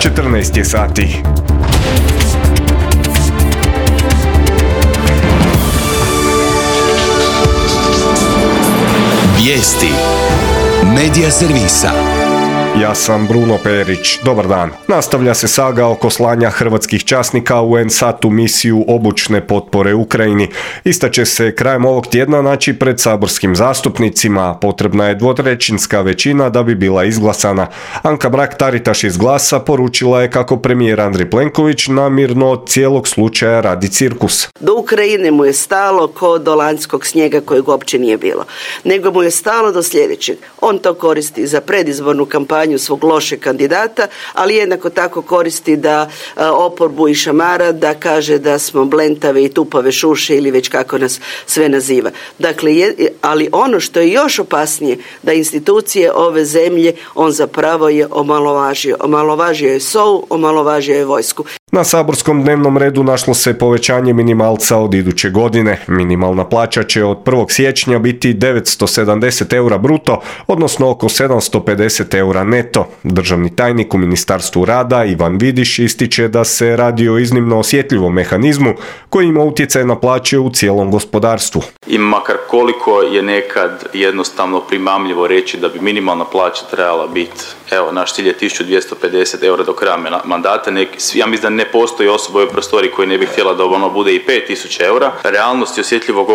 14 je sati. Vijesti Medija servisa. Ja sam Bruno Perić. Dobar dan. Nastavlja se saga oko slanja hrvatskih časnika u NSAT u misiju obučne potpore Ukrajini. Ista će se krajem ovog tjedna naći pred saborskim zastupnicima. Potrebna je dvotrećinska većina da bi bila izglasana. Anka Mrak-Taritaš iz Glasa poručila je kako premijer Andrej Plenković namirno od cijelog slučaja radi cirkus. Do Ukrajine mu je stalo ko do lanjskog snijega kojeg uopće nije bilo. Nego mu je stalo do sljedećeg. On to koristi za predizbornu kampanju svog lošeg kandidata, ali jednako tako koristi da oporbu i šamara, da kaže da smo blentave i tupave šuše ili već kako nas sve naziva. Dakle, ali ono što je još opasnije, da institucije ove zemlje on zapravo je omalovažio. Omalovažio je SOA-u, omalovažio je vojsku. Na saborskom dnevnom redu našlo se povećanje minimalca od iduće godine. Minimalna plaća će od 1. siječnja biti 970 eura bruto, odnosno oko 750 eura neto. Državni tajnik u Ministarstvu rada Ivan Vidiš ističe da se radi o iznimno osjetljivom mehanizmu koji ima utjecaj na plaće u cijelom gospodarstvu. I makar koliko je nekad jednostavno primamljivo reći da bi minimalna plaća trebala biti, evo, naš cilj je 1250 eura do kraja mandata, ja mislim da ne postoji osoba u ovoj prostoriji koji ne bi htjela da ono bude i 5000 eura. Realnost i osjetljivost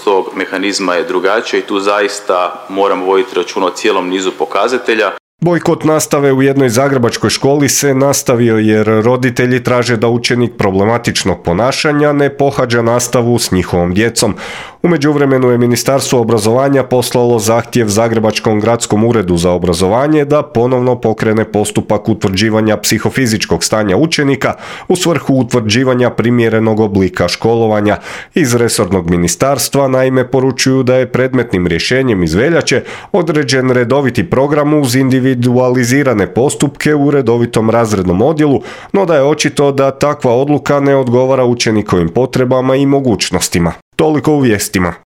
ovog mehanizma je drugačija i tu zaista moramo voditi računa o cijelom nizu pokazatelja. Bojkot nastave u jednoj zagrebačkoj školi se nastavio jer roditelji traže da učenik problematičnog ponašanja ne pohađa nastavu s njihovom djecom. U međuvremenu je Ministarstvo obrazovanja poslalo zahtjev Zagrebačkom gradskom uredu za obrazovanje da ponovno pokrene postupak utvrđivanja psihofizičkog stanja učenika u svrhu utvrđivanja primjerenog oblika školovanja. Iz resornog ministarstva naime poručuju da je predmetnim rješenjem iz veljače određen redoviti program uz individualizirane postupke u redovitom razrednom odjelu, no da je očito da takva odluka ne odgovara učenikovim potrebama i mogućnostima. Toliko u vijestima.